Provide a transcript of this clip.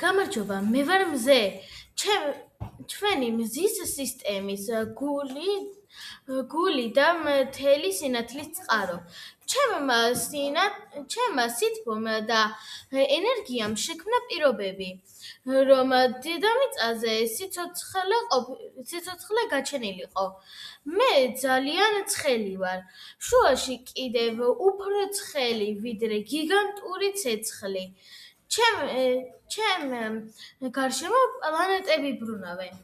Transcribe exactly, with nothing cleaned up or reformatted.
გამარჯობა, მე ვარ მზე. ჩვენი მზის სისტემის გული გული და მთელი სინათლის წყარო. ჩემმა ჩემმა სითბომ და ენერგიამ შექმნა პირობები, რომ დედამიწაზე სიცოცხლე გაჩენილიყო. მე ძალიან ცხელი ვარ, შუაში კიდევ უფრო ცხელი, ვიდრე გიგანტური ცეცხლი. ჩემ ჩემ გარშემო პლანეტები ბრუნავენ.